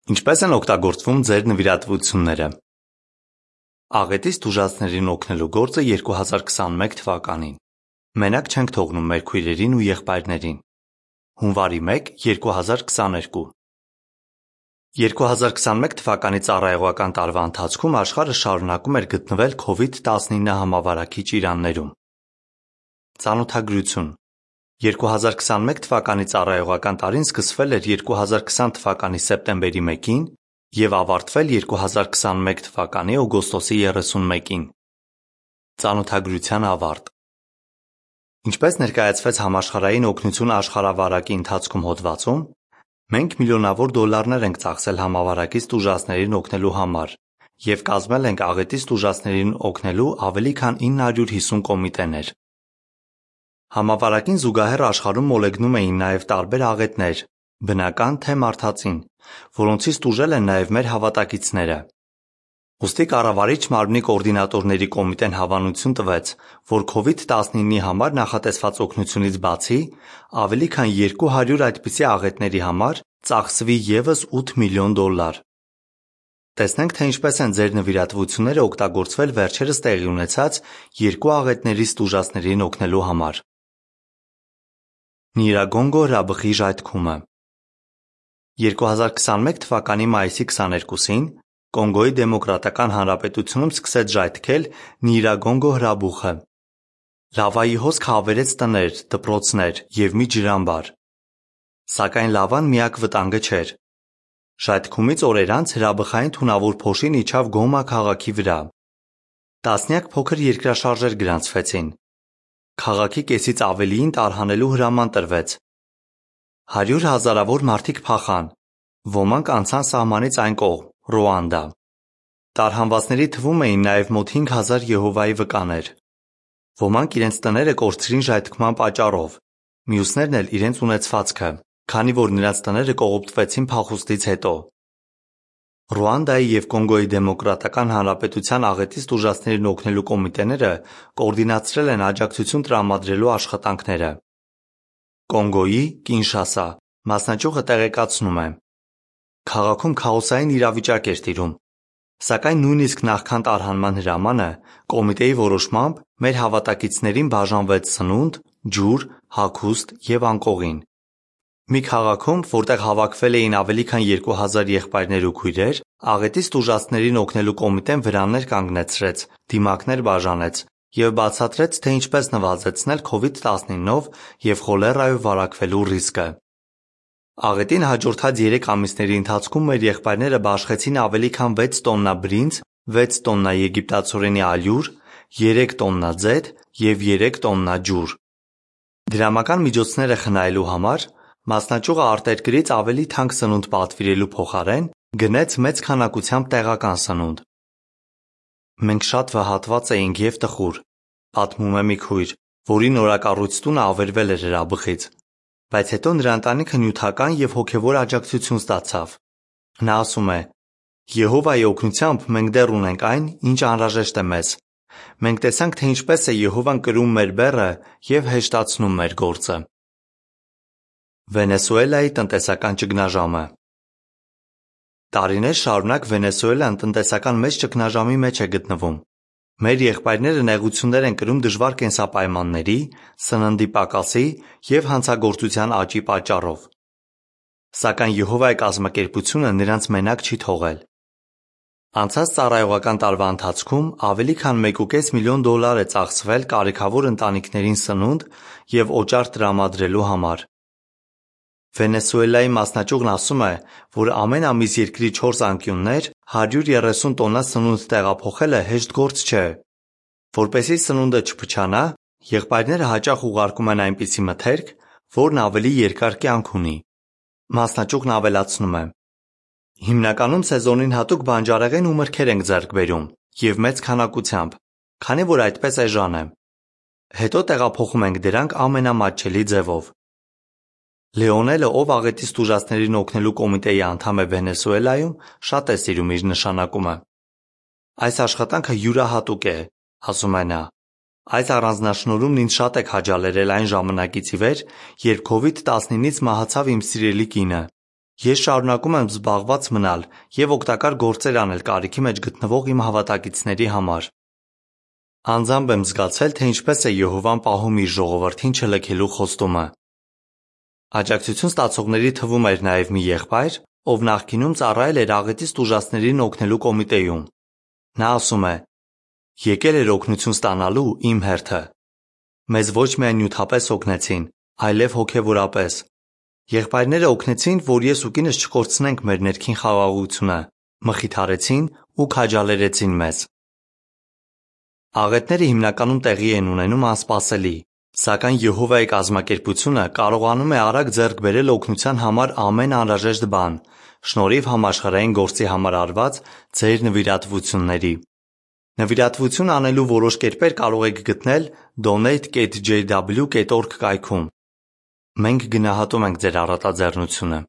Ինչպես են օգտագործվում ձեր նվիրատվությունները։ Աղետից տուժածներին օգնելու գործը 2021 թվականին։ Մենակ չենք թողնում մեր քույրերին ու եղբայրներին։ Հունվարի 1, 2022 2021 թվականի ծառայողական տարվա ընթացքում աշխարհը շարունակում էր գտնվել COVID-19 համավարակիչ իրաններում։ Ծանոթագրություն 2021 թվականի ծառայողական տարին սկսվել էր 2020 թվականի սեպտեմբերի 1-ին և ավարտվել 2021 թվականի օգոստոսի 31-ին։ Ծանոթագրության ավարտ։ Ինչպես ներկայացվեց Համաշխարհային օգնություն աշխարհավարակի ընթացքում հոդվածում, մենք միլիոնավոր դոլարներ ենք ծախսել համավարակից տուժածներին օգնելու համար և կազմել ենք աղետից տուժածներին օգնելու ավելի քան 950 կոմիտեներ։ Համավարակին զուգահեռ աշխարհում մոլեգնում էին նաև տարբեր աղետներ, բնական թե մարդածին, որոնցից տուժել են նաև մեր հավատակիցները։ Ուստի կառավարիչ մարմնի կոորդինատորների կոմիտեն հավանություն տվեց, որ COVID-19-ի համար նախատեսված օգնությունից բացի, ավելի քան 200 այդպիսի աղետների համար ծախսվի ևս $8 միլիոն։ Տեսնենք, թե ինչպես են ձեր նվիրատվությունները օգտագործվել վերջերս տեղի ունեցած երկու աղետներից տուժածներին օգնելու համար։ Նիրագոնգո հրաբխի ժայթքումը 2021 թվականի մայիսի 22-ին Կոնգոյի Դեմոկրատական Հանրապետությունում սկսեց ժայթքել Նիրագոնգո հրաբուխը։ Լավայի հոսքը ավերեց տներ, դպրոցներ և մի ջրամբար։ Սակայն լավան միակ վտանգը չէր։ Ժայթքումից օրեր անց հրաբխային թունավոր փոշին իջավ Գոմա քաղաքի վրա։ Տասնյակ փոքր երկրաշարժեր գրանցվեցին։ Քաղաքի կեսից ավելիին տարհանելու հրաման տրվեց։ 100 հազարավոր մարդիկ փախան։ Ոմանք անցան սահմանից այն կողմ, Ռուանդա։ Տարհանվածների թվում էին նաև մոտ 5000 Եհովայի վկաներ։ Ոմանք իրենց տները կորցրին ժայթքման պատճառով, մյուսներն էլ իրենց ունեցվածքը, քանի որ նրանց տները կողոպտվեցին փախուստից հետո։ Ռուանդայի և Կոնգոյի Դեմոկրատական Հանրապետության աղետից տուժածներին օգնելու կոմիտեները կոորդինացրել են աջակցություն տրամադրելու աշխատանքները։ Կոնգոյի Կինշասա մասնաճյուղը տեղեկացնում է. Քաղաքում քաոսային իրավիճակ էր տիրում, սակայն նույնիսկ նախքան տարհանման հրամանը, կոմիտեի որոշմամբ մեր հավատակիցներին բաժանվեց սնունդ, ջուր, հագուստ և անկողին։ Մի քաղաքում, որտեղ հավաքվել էին ավելի քան 2000 եղբայրներ ու քույրեր, աղետից տուժածներին օգնելու կոմիտեն վրաններ կանգնեցրեց, դիմակներ բաժանեց և բացատրեց, թե ինչպես նվազեցնել COVID-19-ով և խոլերայով վարակվելու ռիսկը։ Աղետին հաջորդած 3 ամիսների ընթացքում մեր եղբայրները բաշխեցին ավելի քան 6 տոննա բրինձ, 6 տոննա եգիպտացորենի ալյուր, 3 տոննա ձեթ և 3 տոննա ջուր։ Դրամական միջոցները խնայելու համար մասնաճյուղը արտերկրից ավելի թանկ սնունդ պատվիրելու փոխարեն գնեց մեծ քանակությամբ տեղական սնունդ։ Մենք շատ վհատված էինք և տխուր, պատմում է մի քույր, որի նորակառույց տունը ավերվել էր հրաբխից, բայց հետո նրա ընտանիքը նյութական և հոգևոր աջակցություն ստացավ։ Նա ասում է. Եհովայի օգնությամբ մենք դեռ ունենք այն, ինչ անհրաժեշտ է մեզ։ Մենք տեսանք, թե ինչպես է Եհովան կրում մեր բեռը և հեշտացնում մեր գործը։ Վենեսուելայի տնտեսական ճգնաժամը Տարիներ շարունակ Վենեսուելան տնտեսական մեծ ճգնաժամի մեջ է գտնվում։ Մեր եղբայրները նեղություններ են կրում դժվար կենսապայմանների, սննդի պակասի և հանցագործության աճի պատճառով։ Սակայն Եհովայի կազմակերպությունը նրանց մենակ չի թողել։ Անցած ծառայողական տարվա ընթացքում ավելի քան $1.5 միլիոն է ծախսվել կարիքավոր ընտանիքներին սնունդ և օճառ տրամադրելու համար։ Վենեսուելայի մասնաճյուղն ասում է, որ ամեն ամիս երկրի 4 անկյուններ 130 տոննա սնունդ տեղափոխելը հեշտ գործ չէ։ Որպեսզի սնունդը չփչանա, եղբայրները հաճախ ուղարկում են այնպիսի մթերք, որն ավելի երկար կյանք ունի։ Մասնաճյուղն ավելացնում է. Հիմնականում սեզոնին հատուկ բանջարեղեն ու մրգեր ենք ձեռք բերում և մեծ քանակությամբ, քանի որ այդպես էժան է։ Հետո տեղափոխում ենք դրանք ամենամատչելի ձևով։ Լեոնելը, ով աղետից տուժածներին օգնելու կոմիտեի անդամ է Վենեսուելայում, շատ է սիրում իր նշանակումը։ Այս աշխատանքը յուրահատուկ է, ասում է նա։ Այս առանձնաշնորհումն ինձ շատ է քաջալերել այն ժամանակից ի վեր, երբ COVID-19-ից մահացավ իմ սիրելի կինը, Ես շարունակում եմ զբաղված մնալ և օգտակար գործեր անել կարիքի մեջ գտնվող իմ հավատակիցների համար։ Անձամբ եմ զգացել, թե ինչպես է Եհովան պահում իր ժողովրդին չլքելու խոստումը։ Աջակցություն ստացողների թվում էր նաև մի եղբայր, ով նախկինում ծառայել էր աղետից տուժածներին օգնելու կոմիտեում։ Նա ասում է. «Եկել էր օգնություն ստանալու իմ հերթը։ Մեզ ոչ միայն նյութապես օգնեցին, այլև հոգևորապես։ Եղբայրները օգնեցին, որ ես ու կինս չկորցնենք մեր ներքին խաղաղությունը, մխիթարեցին ու քաջալերեցին մեզ»։ Աղետները հիմնականում տեղի են ունենում անսպասելի, սակայն Եհովայի կազմակերպությունը կարողանում է արագ ձեռք բերել օգնության համար ամեն անհրաժեշտ բան, շնորհիվ համաշխարհային գործի համար արված ձեր նվիրատվությունների։ Նվիրատվություն անելու որոշ կերպեր կարող եք գտնել donate.jw.org կայքում։ Մենք գնահատում ենք ձեր առատաձեռնությունը։